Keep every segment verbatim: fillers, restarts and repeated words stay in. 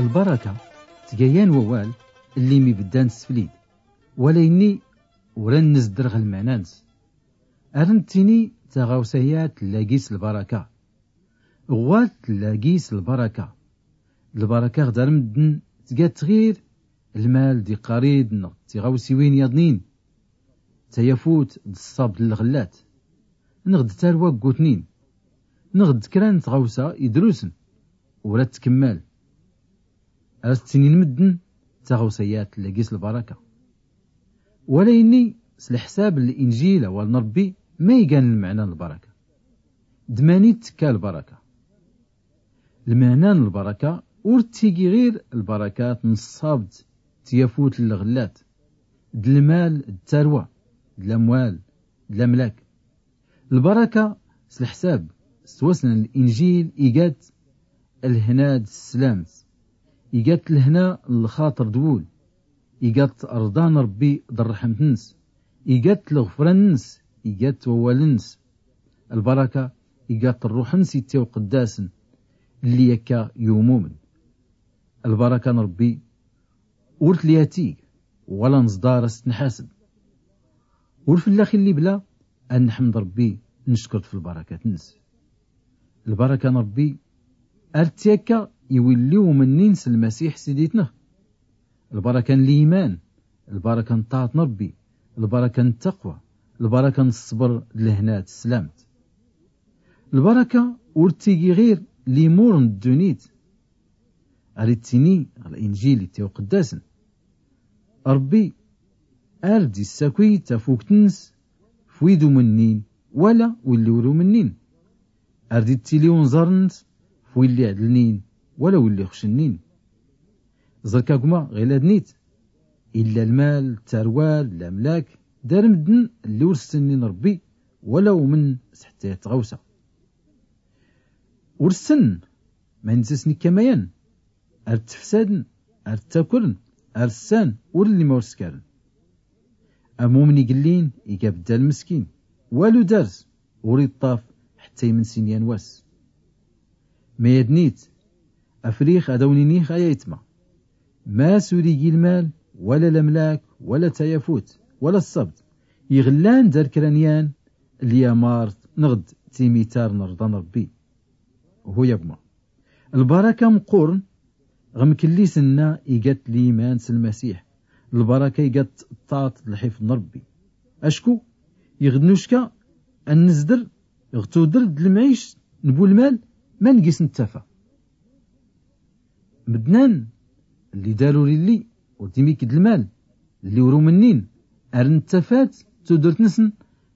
Lbaraka tga yan wawal lli mibddan s tflid, wala inni ur a nn-nzdr ɣ lmana-ns. Ar nttini taɣawsa-ya tlla gis lbaraka. Ɣwat tlla gis lbaraka. Lbaraka ɣ dar mddn tga-tt ɣir lmal d iqqar-id nɣ tiɣawsiwin yaḍnin. Tayafut d ṣṣab d lɣllat, nɣ d tarwa ggutnin, nɣ d kra n tɣawsa idrusn ur a ttkmmal. Ar as-ttinin mddn taɣawsa-ya tlla gis lbaraka. Wala inni s lḥsab n linjil awal n rbbi ma igan lmana n lbaraka? D mani ttkka lbaraka? Lmana n lbaraka ur ttigi ɣir lbarakat n ṣṣab d tyafut n lɣllat, d lmal d tarwa, d lamwal, d lamlak. Lbaraka s lḥsab s twassna n linjil iga-tt lhna d sslam-tt, iga-tt lhna n lxaṭr d wul, iga-tt rḍa n rbbi d rrḥmt-ns, iga-tt lɣfran-ns, iga-tt wawal-ns. Lbaraka iga-tt rruḥ-ns ittiwqddasn lli akka yumumn. Lbaraka n rbbi ur tli atig wala nẓḍar a s-tnḥasb. Ur fllax illi bla a nḥmd rbbi, nckr-t f lbarakat-ns. Lbaraka n rbbi ar tti akka i willi umnnin s lmasiḥ siditnɣ. Lbaraka n liman, lbaraka n ṭṭaɛt n rbbi, lbaraka n ttaqwa, lbaraka n ṣṣbr d lhna d tslamt. Lbaraka ur ttigi ɣir limur n ddunit. Ar ittini ɣ linjil ittiwqddasn, rbbi ar d-issaky tafukt-ns f wid umnnin wala willi ur umnnin. Ar d-ittili unẓar-ns f willi ɛdlnin wala willi xcnnin. Ẓrk a gma ɣ ila dnit, illa lmal, tarwa, lamlak, dar mddn lli ur ssnnin rbbi wala umnn s ḥttayat tɣawsa. Ur ssnn ma inzsn ikka mayan. Ar ttfsadn, ar ttakrn, ar ssan, ur lli ma ur skarn. Amumn igllin iga bddal mskin, walu dar-s ur iṭṭaf ḥtta imnsin yan wass. Mayadnit, afrix ad awn-inih ay aytma, mass ur igi lmal wala lamlak wala tayafut wala ṣṣabd iɣllan dar kra n yan lyamart nɣd timitar n rḍa n rbbi. Hu ya gma. Lbaraka mqqurn ɣ mklli s nna iga-t liman s lmasiḥ. Lbaraka iga-t ṭṭaɛt d lḥifḍ n rbbi. Acku iɣ d nucka a nzdr ɣ tudr d lmɛict n bu lmal ma ngis nttafa. Mddn-an lli dar ur illi ur d-imikk d lmal, lli ur umnnin, ar nttafat tudrt-nsn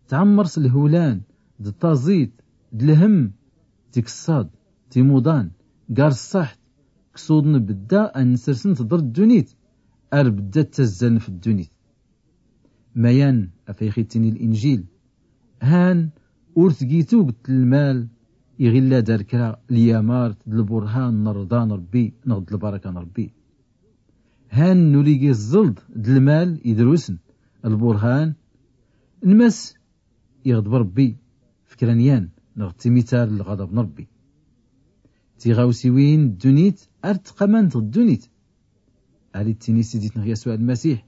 tɛmmr s lhwlan d taẓit d lhm, tikṣṣad, timuḍan, gar ṣṣaḥt, ksuḍn bdda a nnsrsn tḍr ddunit, ar bdda ttazzaln f ddunit. Mayan af ayɣ ittini linjil, han ur tgi tugt n lmal iɣ illa dar kra lyamart d lburhan n rḍa n rbbi nɣd lbaraka n rbbi. Han ur igi ẓẓlḍ d lmal idrusn lburhan n mass iɣḍb rbbi f kra n yan nɣd timitar n lɣaḍb n rbbi. Tiɣawsiwin n ddunit ar ttqamant ɣ ddunit. Ar ittini siditnɣ yasuɛ lmasiḥ,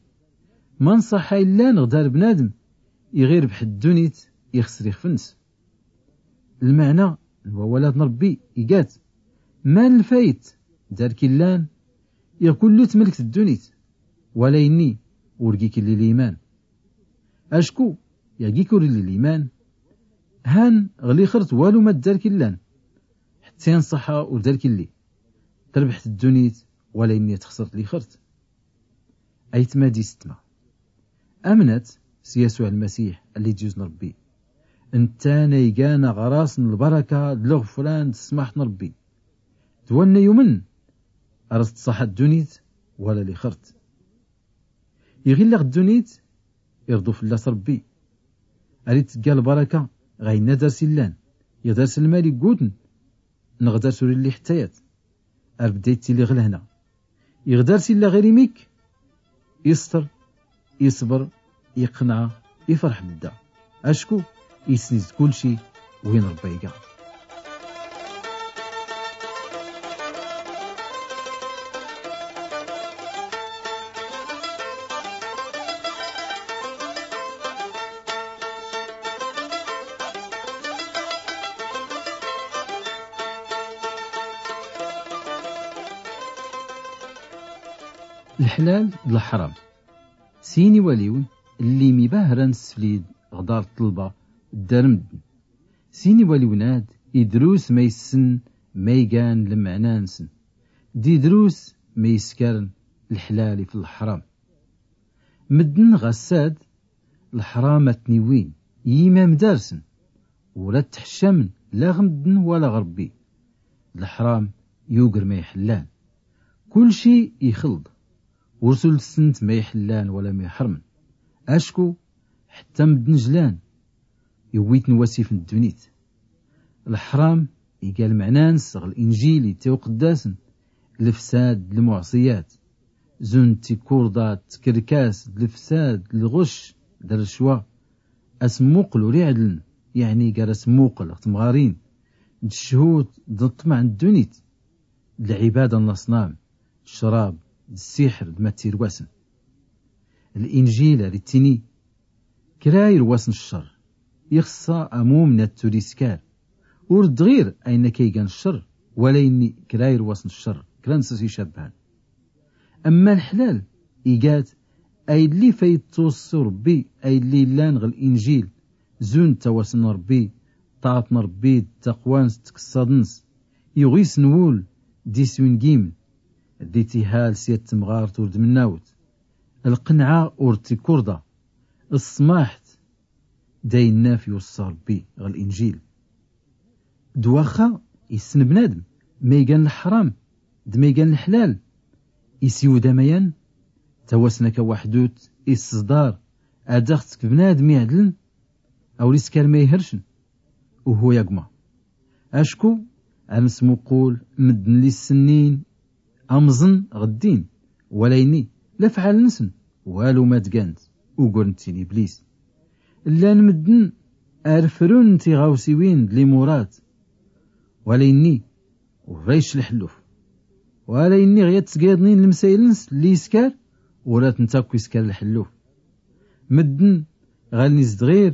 ma nṣaḥa illan ɣ dar bnadm iɣ irbḥ ddunit ixsr ixf-ns. Lmɛna n wawalat n rbbi iga-t, man lfayt dar k-illan iɣ kullu tmlkt ddunit, wala inni ur gik illi liman. Acku iɣ gik ur illi liman, han ɣ lixrt walu ma dar k-illan, ḥtta i nṣaḥa ur dar k-illi, trbḥt ddunit wala inni a txsrt lixrt. Aytma d istma, amnat s yasuɛ lmasiḥ alli d-yuzn rbbi, nttan a igan aɣras n lbaraka d lɣfran d ssmaḥt n rbbi. D wanna yumn ar as-tṣaḥa ddunit wala lixrt. Iɣ illa ɣ ddunit irḍu fllas rbbi. Ar ittgga lbaraka ɣ ayn a dar-s illan, iɣ dar-s lmal iggutn nɣ dar-s ur illi ḥttayat. Ar bdda ittili ɣ lhna. Iɣ dar-s illa ɣir imikk, isṭr, isbr, iqnɛ, ifrḥ bdda. Acku isn-izd kulci win rbbi a iga. Lḥlal d lḥram. Sin iwaliwn lli mibahran sflid ɣ dar ṭṭlba d dar mddn. Sin iwaliwn ad idrus ma issen ma igan lmɛna nsn, d idrus ma iskarn lḥlal if lḥram. Mddn ɣassad lḥram a tniwin yimam darsn, ur ad tḥcamn la ɣ mddn wala ɣ rbbi. Lḥram yugr ma iḥllan. Kulci ixlḍ, ur sul tssnt ma iḥllan wala ma iḥrmn. Acku ḥtta mddn jlan, iwwitn wasif n ddunit. Lḥram iga lmɛna ns ɣ linjil ittiwqddasn, lfsad d lmuɛṣiyat, zun tikurḍa d tkrkas d lfsad d lɣcc d rcwa. Asmmuql ur iɛdln, yaɛni gar asmmuql ɣ tmɣarin d cchut d ṭṭmɛ n ddunit, d lɛibada n laṣnam, d crab d ssiḥr d ma ttirwasn. Linjil ar ittini: kra irwasn ccer ixṣṣa amumn ad tur iskar. Ur d ɣir ayn akka igan ccer, wala inni kra irwasn ccer, kra nsn icabbhn. Amma lḥlal igat aylli f a ittwṣṣi rbbi, aylli illan ɣ linjil, zun ttawasn n rbbi, ṭṭaɛt n rbbi d taqwa ns d tkṣṣaḍ ns, iɣis n wul d iswi n gimn, d ittihal s yat tmɣart ur d mnnawt, lqnɛa ur d tikurḍa, ṣṣmaḥt, d ayn naf iwṣṣa rbbi ɣ linjil. D waxxa issn bnadm ma igan lḥram d ma igan lḥlal, isiwd amayan, tawasna ka waḥdut, isẓḍar ad aɣ tk bnadm iɛdln, a ur iskar ma ihrcn. Uhu ya gma. Acku ar nsmuqul mddn lli ssnnin amẓn ɣ ddin, wala inni lafɛal nsn walu ma d gant, ugur n ttin iblis. Llan mddn ar frun tiɣawsiwin d limurat, wala inni ur a icc lḥlluf, wala inni ɣ yat sgayḍnin lmsayl ns lli iskar, ur a tnt akk iskar lḥlluf. Mddn ɣaln is d ɣir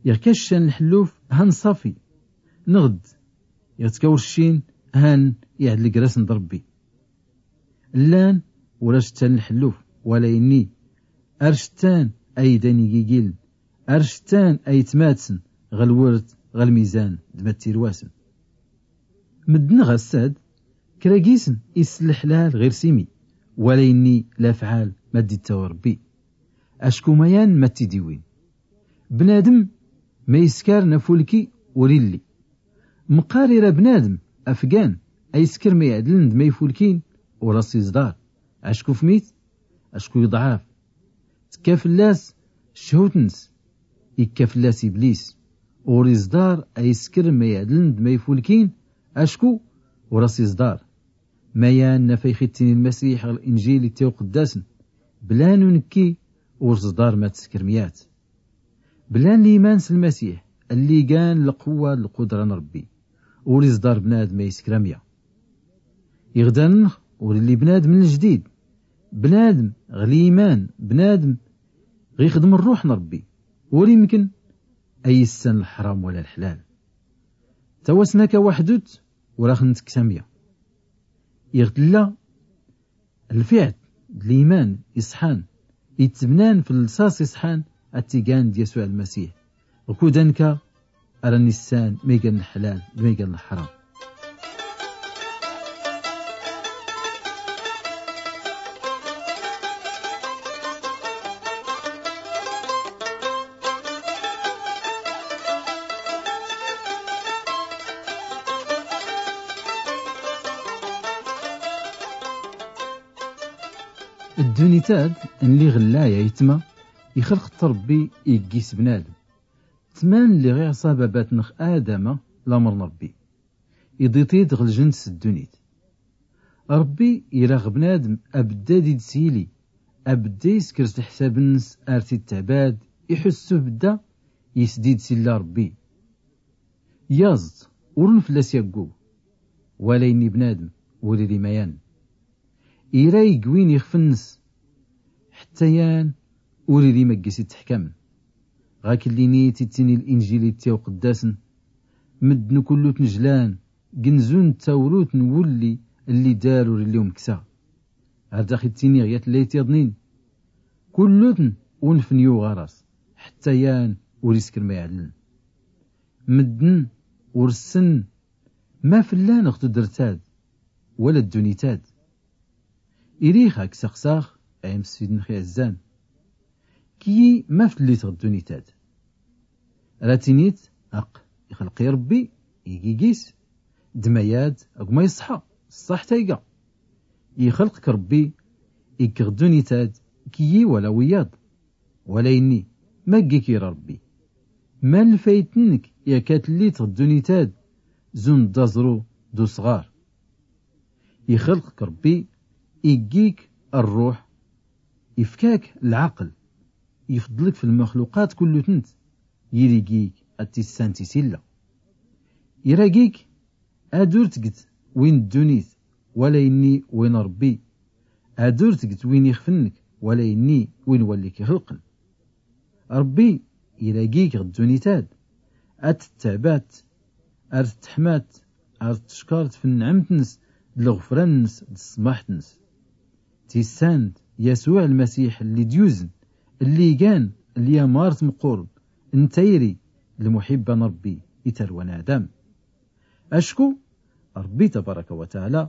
iɣ ka ccan lḥlluf han ṣafi, nɣd iɣ tka ur ccin han iɛdl gr-asn d rbbi. Llan ur a cttan lḥlluf, wala inni ar cttan aydan igigiln, ar cttan aytmatsn ɣ lwrt ɣ lmizan d ma ttirwasn. Mddn ɣassad kra gisn issn lḥlal ɣir simi, wala inni lafɛal ma d ittawi rbbi. Acku mayan ma tt id iwwin. Bnadm ma iskar n afulki ur illi. Mqqar ira bnadm afgan a iskr ma iɛdln d ma ifulkin, ur as iẓḍar. Acku fmit? Acku iḍɛaf. Tkka fllas cchut ns, ikka fllas iblis. Ur iẓḍar a iskr ma iɛdln d ma ifulkin, acku ur as iẓḍar. Mayan naf a ix ittini lmasiḥ ɣ linjil ittiwqddasn: bla nunki ur tẓḍar ma tskr myat. Bla n liman s lmasiḥ lli igan lqwwa d lqudra n rbbi, ur iẓḍar bnadm a iskr amya. Iɣ da nx ur illi bnadm n ljdid, bnadm ɣ liman, bnadm ɣ ixdm rruḥ n rbbi, ur imkn a issan lḥram wala lḥlal. Tawasna ka waḥdut ur ax n tks amya. Iɣ tlla lfiɛt d liman iṣḥan ittbnan f lṣaṣ iṣḥan a t igan d yasuɛ lmasiḥ, ɣ kudan ka ar a nissan ma igan lḥlal d ma igan lḥram. Ddunit ad n liɣlay aytma ixlq-t rbbi iggis bnadm. Tman lli ɣ iɛṣa babat nx adama lamr n rbbi, iḍi-t-id ɣ lǧnt s ddunit. Rbbi ira ɣ bnadm abdda d id s yili, abdda iskr s lḥsab ns ar t id tɛbad, iḥussu bdda isdid s illa rbbi. Yaẓ-t ur n fllas yaggug, wala inni bnadm ur iri mayan. Ira igwin ixf ns, ḥtta yan ur iri ma gis ittḥkamn. Ɣa kllini tittini linjil ittiwqddasn: mddn kullu tnjlan, gnzun tawrut n wulli lli dar ur illi umksa. Ar dax ittini ɣ yat llayt yaḍnin, kullutn unfn yuɣ ɣar-as, ḥtta yan ur iskr ma iɛlln. Mddn ur ssn ma fllan ɣ tudrt-ad wala ddunit-ad. Irix ak-saqsax, ay amsfid-nx iɛzzan, kiyyi ma fllit ɣ ddunit-ad? Ra tinit aqq ixlq-i Rbbi, ig ig-is, d ma yad ag ma iṣṣḥa, ṣṣaḥ tayga. Ixlq-k Rbbi, ig-k ɣ ddunit-ad, kiyyi wala wiyaḍ. Wala inni, ma ig-ik ira Rbbi? Ma lfayt-nk i ak-tllit ɣ ddunit-ad? Zund d aẓru d usɣar. Ixlq-k Rbbi, ig-ik rruḥ, ifk-ak lɛaql, ifḍl-k f lmxluqat kullutnt, yir ig-ik ad tissant i s-illa. Ira ig-ik ad ur tgt win ddunit, wala inni win Rbbi, ad ur tgt win ixf-nk, wala inni win walli k-ixlqn. Rbbi ira ig-ik ɣ ddunit-ad, ad ttɛbat, ar ttḥmat, ar tckart f nnɛmt-ns d lɣfran-ns d ṣṣmaḥt-ns. Tissant Yasuɛ Lmasiḥ lli d-yuzn, lli igan lyamart mqqurn n tayri d lmuḥibba n Rbbi i tarwa n Adam. Acku Rbbi tabaraka wa taɛla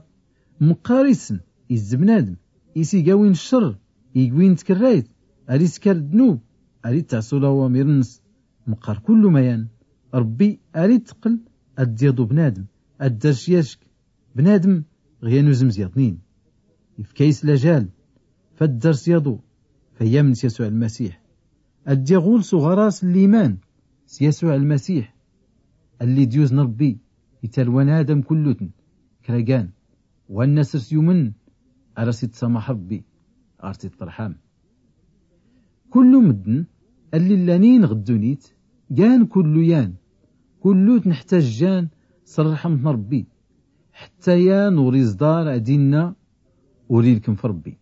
mqqar isn izz bnadm, is iga win ccr, ig win tkrrayt, ar iskar ddnub, ar ittɛṣu lawamir-ns. Mqqar kullu mayan, Rbbi ar itqql ad d-yaḍu bnadm, ad d-ar s-yack bnadm ɣ yan uzmz yaḍnin. Ifka-is lajal f ad d-ar s-yaḍu, f ad yamn s Yasuɛ Lmasiḥ, ad d-yaɣul s uɣaras n liman s Yasuɛ Lmasiḥ, alli d-yuzn Rbbi i tarwa n Adam kullutn, kra gan, wanna srs yumn, ar as-ittsamaḥ Rbbi, ar t-ittrḥam. Kullu mddn alli llanin ɣ ddunit, gan kullu yan, kullutn ḥtajjan s rrḥmt n Rbbi, ḥtta yan ur iẓḍar ad inna ur ilkm f Rbbi,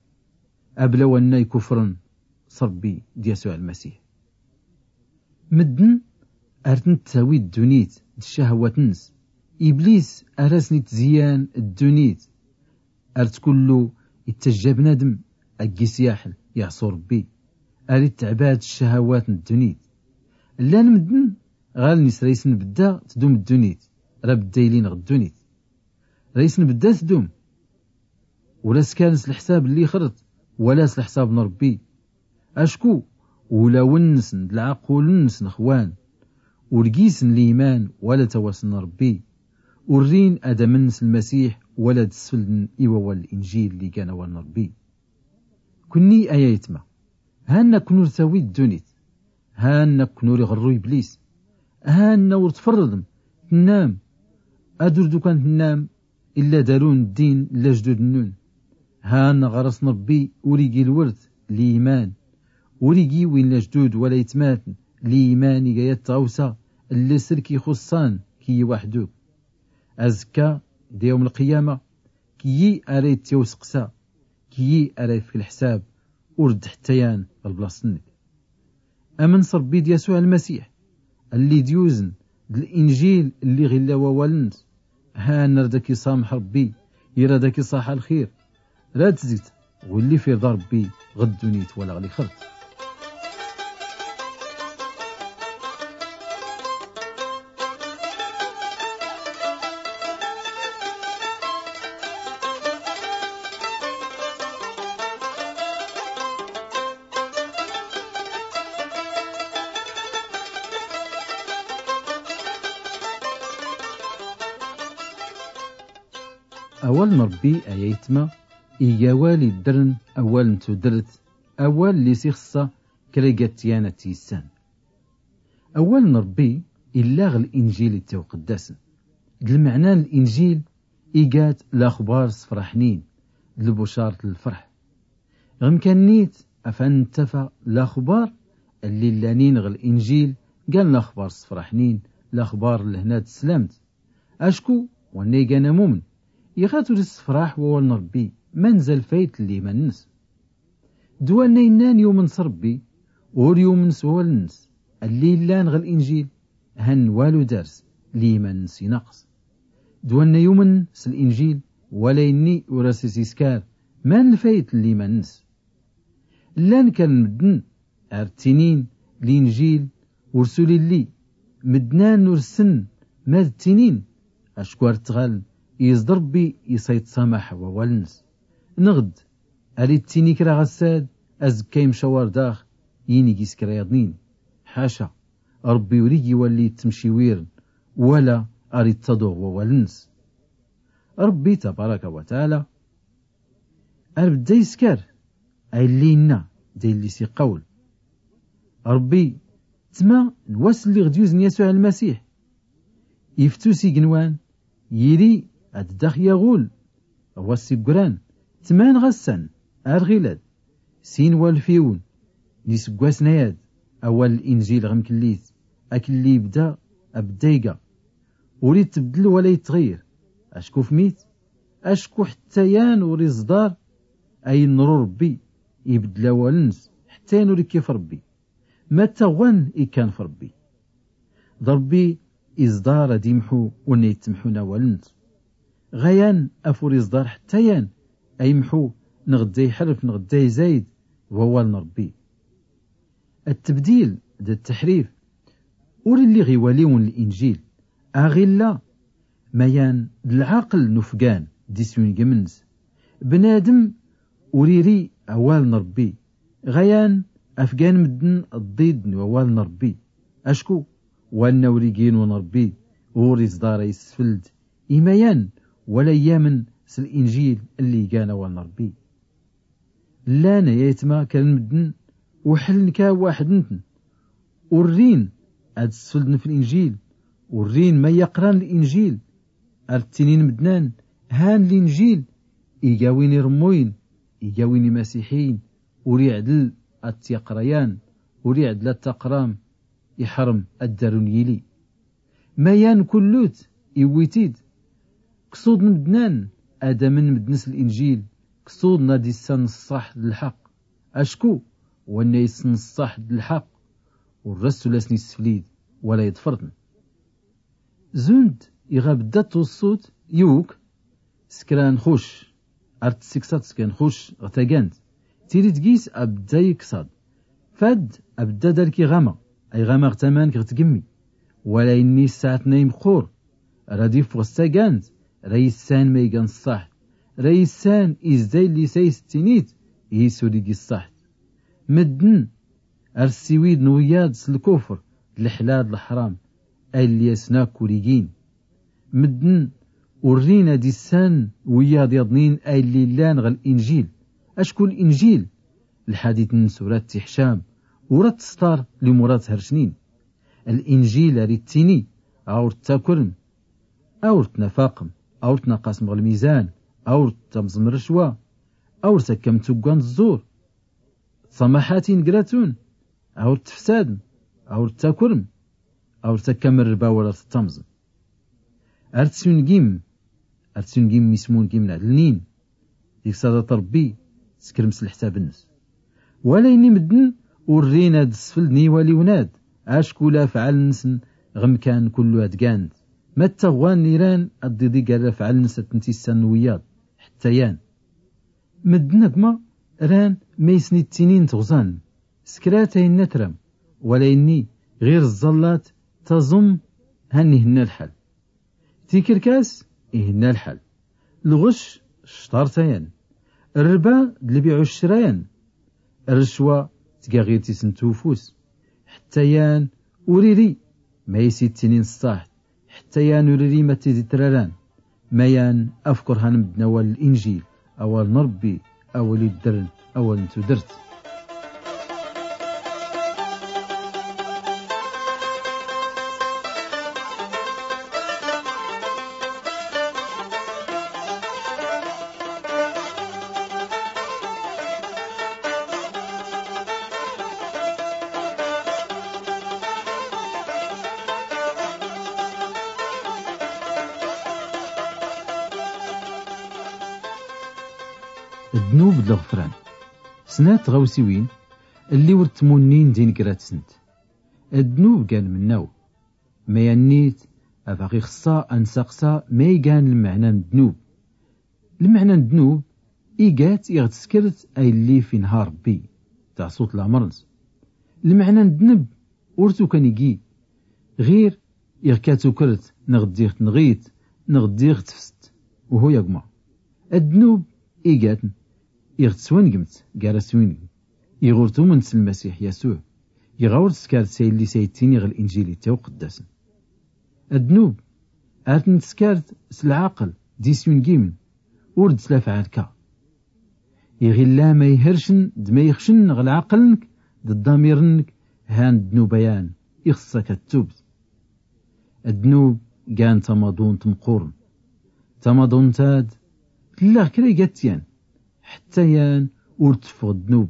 abla wanna ikufrn s Rbbi d Yasuɛ Lmasiḥ. Mddn ar tn-ttawi ddunit d ccahwat-ns, Iblis ar asn-itziyyan ddunit, ar tkullu ittajja bnadm ag isyaḥl iɛṣu Rbbi, ar ittɛbad ccahwat n ddunit. Llan mddn ɣaln is ra isn-bdda tdum ddunit, ra bdda ilin ɣ ddunit. Ra isn-bdda tdum, ur askarn s lḥsab lli xrt wala s lḥsab n Rbbi. Acku ulawn-nsn d lɛqul-nsn xwan, ur gisn liman wala tawast n Rbbi, ur rin ad amn s Lmasiḥ wala ad sfldn i wawal n Linjil lli gan awal n Rbbi. Kunni ay aytma, han akn ur tawi ddunit, han akn ur iɣrru Iblis, han ur tfrrdm, tnnam, ad ur d ukan tnnam, illa darun ddin n lajdud-nnun. Han ɣaras n Rbbi ur igi lwrt, liman, ur igi win lajdud wala itmatn, liman iga yat tɣawsa lli srk ixuṣṣan kiyyi waḥduk. Azkka, d yawm lqiyama, kiyyi ara ittyaw sqsa, kiyyi ara ifk lḥsab, ur d ḥtta yan ɣ lblaṣt-nnk. Amn s Rbbi d Yasuɛ Lmasiḥ, alli d-yuzn d Linjil lli ɣ illa wawal-ns, han ar dak iṣamḥ Rbbi, ira dak iṣaḥ lxir, ra tzgt ɣ willi firḍa Rbbi ɣ ddunit wala ɣ lixrt. Awal n Rbbi ay aytma, iga awal iddrn awal n tudrt, awal lli s ixṣṣa kra iga tyan ad t-issan. Awal n Rbbi illa ɣ Linjil ittawqddasn. D lmɛna n Linjil iga-t laxbar sfraḥnin, d lbucart n lfrḥ. Ɣ mkan-nit, afan nttafa laxbar lli llanin ɣ Linjil, gan laxbar sfraḥnin, laxbar n lhna d tslamt. Acku wanna igan amumn, iɣ at ur issfraḥ wawal n Rbbi, ma nza lfayt n liman-ns? D wanna innan yumn s Rbbi, ur yumn s wawal-ns, alli illan ɣ Linjil, han walu dars, liman-ns inaqs. D wanna yumn s Linjil, wala inni ur as-iskar, Man lfayt n liman-ns? Llan kra n mddn ar ttinin linjil ur suli lli. Mddn-an ur ssn mad ttinin, acku ar ttɣaln iẓ d rbbi iṣa ittṣamaḥ wawal-ns. Nɣd ar ittini kra ɣ-ssad, azkka imcawar dax yini gis kra yaḍnin. Ḥaca, rbbi ur ig iwalli ittmciwirn wala ar ittaḍuɣ wawal-ns. Rbbi tabaraka wa taɛala ar bdda iskar aylli inna d aylli s-iqqawl. Rbbi, tma n wass lli ɣ-d-yuzn yasuɛ lmasiḥ, iftu s ignwan, yiri ad-dax yaɣul ɣ-wass iggran. Tman ɣ-assan ar ɣilad sin walfiwn n isggwasn ayad, awal linjil ɣ-mkllit akk lli ibda abdda iga, ur ittbdl wala ittɣir. Acku fmit? Acku ḥtta yan ur iẓḍar ayn nru rbbi ibdl awal-ns. Ḥtta yan ur ikkif rbbi, matta ɣwan ikkan f rbbi. D rbbi iẓḍar ad imḥu ur nna ittmḥun awal-ns. Ɣayan af ur iẓḍar ḥtta yan aymḥu nɣd ayḥrf nɣd ayzayd wawal n rbbi. Ttbdil d tteḥrif ur illi ɣ iwaliwn n linjil. Aɣ illa mayan d lɛaql n ufgan d iswingm-ns. Bnadm ur iri awal n rbbi. Ɣayan afgan mddn ḍḍid n wawal n rbbi. Acku wanna ur ig inun rbbi ur iẓḍar aysfld imayan wala iyamn s linjil lli igan awal n rbbi. Llan ay aytma kra n mddn uḥln ka waḥd-ntn, ur rin ad sfldn f linjil, ur rin ma yaqran linjil. Ar ttinin mddn-an han linjil iga win irmmuyn, iga win imasiḥiyn. Ur iɛdl ad tyaqra yan, ur iɛdl ad taqram, iḥrm ad darun yili. Mayan kullut iwwi-t-id. Ksuḍn mddn-an ad amn mddn s linjil, ksuḍn ad issan ṣṣaḥ d lḥaq. Acku wanna issn ṣṣaḥ d lḥaq ur rassul asn isflid wala iḍfrtn. Zund iɣ abdda twṣṣut, yuk skra nxuc ar tsiksaḍ skra nxuc ɣ tagant. Tirit gis abdda iksaḍ fad abdda darki ɣama ay ɣama ɣ tamank ɣ tgmmi. Wala inni ssaɛtn ay mqqur ra d-iffɣ s tagant, ra issan ma igan ṣṣaḥt, ra issan izday lli s ay s ttinit is ur igi ṣṣaḥt. Mddn ar ssiwidn wiyaḍ s lkufr d lḥlal d lḥram aylli asn akk ur igin. Mddn ur rin ad issan wiyaḍ yaḍnin aylli llan ɣ linjil. Acku linjil lḥadit n surat tiḥcam ur ad tsṭar limur ad thrcnin. Linjil ar ittini awr ttakrm, awr tnafaqm, awr tnaqasm ɣ lmizan, awr ttamẓm rrcwa, awr takkam tuggan ẓẓur, ttṣamaḥatin gratun, awr tfsadm, awr ttakrm, awr takkam rrba wala ttamẓm. Ar tsungim, ar tsungim ismungim n ɛdlnin. Deg sadat rebbi tskrem s leḥsab-nnes. Wala ini medden ur rin ad sfelden iwaliwen-ad acku lafɛal-nsen ɣ mkan kullu ad gant. Ma ttaɣwan iran ad iḍi gar lafɛal-nnes ad ten-issanen wiyaḍ ḥetta yan. Medden akma ran ma isni ttinin tɣẓan s kra tayenna tram. Wala ini ɣir ẓẓallat taẓum. Han ihenna lḥal. Tikerkas ihenna lḥal. Lɣec cṭart ayan. Rrba d lbiɛ u ccra ayan. Rrcwa tga ɣir tisent ufus. Ḥetta yan ur iri ma is ittinin ṣṣaḥt. Ḥetta yan ur iri ma tizi traran. Ma yan afker han medden awal n linjil, awal n rebbi, awal iddren awal n tudert. Ddnub d lɣefran. Snat tɣawsiwin lli ur ttmunnin di neggrat-sent. Ddnub gan mennaw. Ma yannit abaɣ ixṣṣa ad nsaqsa ma igan lmeɛna n ddnub. Lmeɛna n ddnub Igat iɣ tskrt a illi f inha rbbi, taṣut lamr-ns. Lmɛna n ddnb ur tukan igi, ɣir iɣ ka tukrt nɣ ddiɣ tnɣit nɣ ddiɣ tfst. Uhu yagma, ddnub igatn iɣ tswngmt gar aswingm iɣ ur tumnt s lmasiḥ yasuɛ, iɣ a ur tskart s a illi s a ittini ɣ linjil ittawqddasn. Ddnub ar tn tskart s lɛaql d iswingimn, ur d slafɛal ka. Iɣ illa ma ihrcn d ma ixcn ɣ lɛaql-nnk d ddamir-nnk, han ddnub ayan ixṣṣa ka ttubt. Ddnub gan tamaḍunt mqqurn. Tamaḍunt ad tlla ɣ kra igatyan, ḥtta yan ur tffɣ ddnub.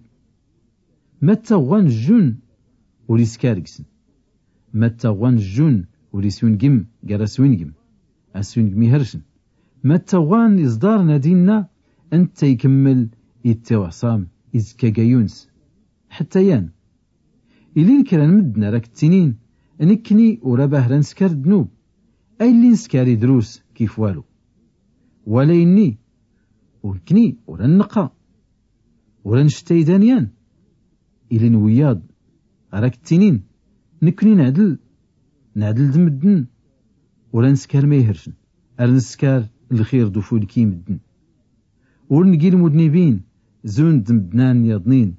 Ma ttaɣwan jjun ur iskar gsn. Ma ttaɣwan jjun ur iswingm gar aswingm, aswingm ihrcn. Ma ttaɣwan iẓḍarn ad inna ntta ikmml ittawɛṣam izkka gayuns. Ḥtta yan ilin kra n mddn ar ak ttinin, nkni ur abahra nskar ddnub a illi nskar idrus kif walu. Wala inni ur nkni ur annqqa ur annct aydan yan. Ilin wiyaḍ ar ak ttinin, nkni nɛdl nɛdl d mddn. Ur annskar ma ihrcn ar nskar lxir d ufulki i mddn. Ur ngi lmudnibin zun d mddnan yaḍnin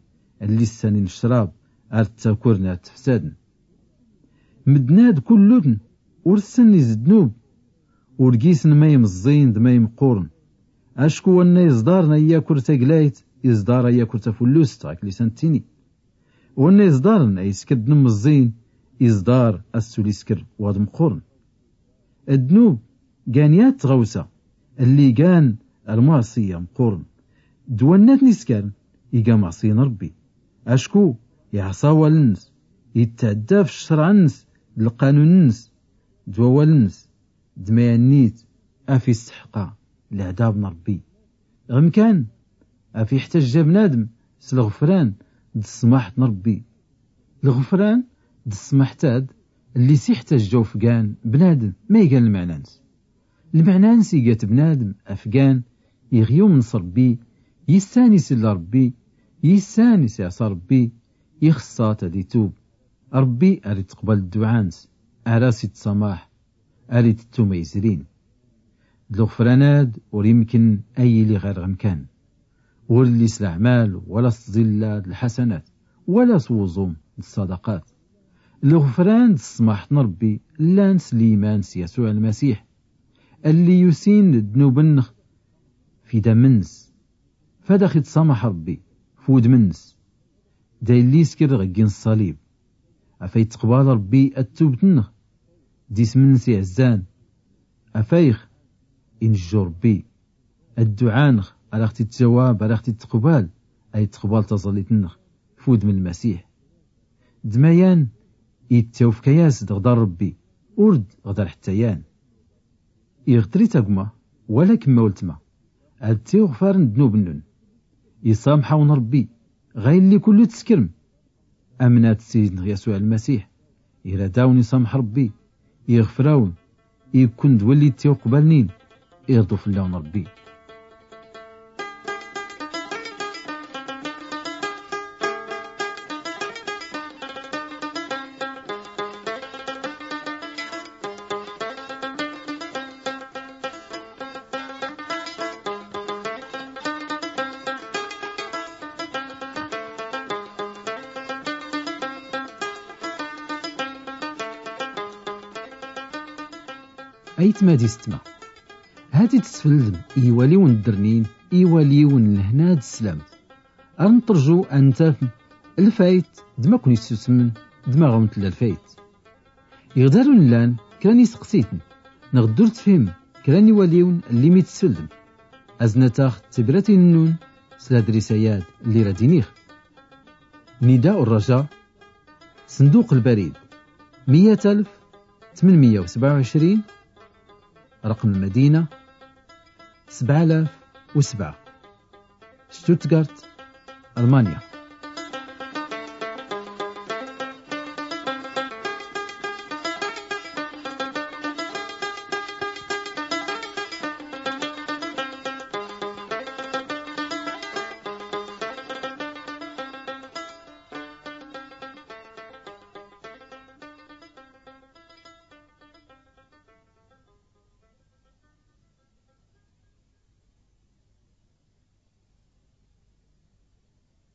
lli ssanin ccrab ar ttakurn ar ttfsadn. Mddnad kullutn ur ssn iz ddnub. Ur gisn ma imẓẓin d ma imqqurn. Acku wanna iẓḍarn a yakur taglayt iẓḍar a yakur tafullust ɣak lisan ttini. Wanna iẓḍarn a iskr d nmẓẓin iẓḍar a ssul iskr waḍ mqqurn. Ddnub gan yat tɣawsa lli gan lmaṣiya mqqurn d wanna tn iskarn iga maṣi n rbbi. Acku iɛṣa awal-ns, ittɛdda f ccrɛ-ns d lqanun-ns d wawal-ns d ma yannit af isseḥqa lɛdab n rbbi. Ɣ mkan af iḥtajja bnadm s lɣfran d ṣṣmaḥt n rbbi. Lɣfran d ṣṣmaḥt ad lli s iḥtajja ufgan bnadm ma igan lmɛna-ns. Lmɛna-ns igat bnadm afgan iɣ yumn s rbbi, yissan isll rbbi, yissan isiɛṣa rbbi, ixṣṣa-t ad itub. Rbbi ar itqbal dduɛa-ns, ar as itṣamaḥ, ar itettu ma izrin. D lɣfran ad ur imkn a yili ɣir ɣ mkan. Ur lli s laɛmal wala s tẓilla d lḥasanat wala s wuẓum d ṣṣadaqat. Lɣfran d ṣṣmaḥt n rbbi llan s liman s yasuɛ lmasiḥ, alli yusin d ddnub-nnx f idam-ns. Fad ax itṣamaḥ rbbi f wudm-ns d aylli iskr ɣ gin ṣṣalib. Afay tqbal rbbi attubt-nnx d ism-ns iɛzzan. Afay x injju rbbi. Adduɛa-nx ar ax-t-ittjawab ar ax-t-ittqbal, ay tqbal taẓallit-nx f wudm lmasiḥ. D mayan ittawfka-yas-d ɣ dar rbbi, ur d ɣ dar ḥtta yan. Iɣ trit agma wala kmma ultma ad tiɣfaren ddnub-nnun, iṣamḥ-awen rbbi. Ɣa illi kullu tskrm amnat s sidnx yasuɛ lmasiḥ, irad-awen iṣamḥ rbbi. Iɣfr-awen ikkun d walli tiɣqbalnin. Irḍu fllawen rbbi. Aytma d istma, hati tsfldm i iwaliwn ddrnin, iwaliwn lhna d sslamt. Ar nṭrju a ntafn lfayt d ma kwn-issusmn d ma ɣ-wn tlla lfayt. Iɣ darun llan kra n iseqsitn nɣ ddurt fhim kra n iwaliwn lli mi tsfldm, aznat-aɣ tibratin-nnun s ladris-ayad lli rad iniɣ. Nida urraja, sndduq lbarid miyya alf tmnmiyya usbɛa uɛcrin, raqm lmadina sbɛa alaf usbɛa, stutgart, almanya.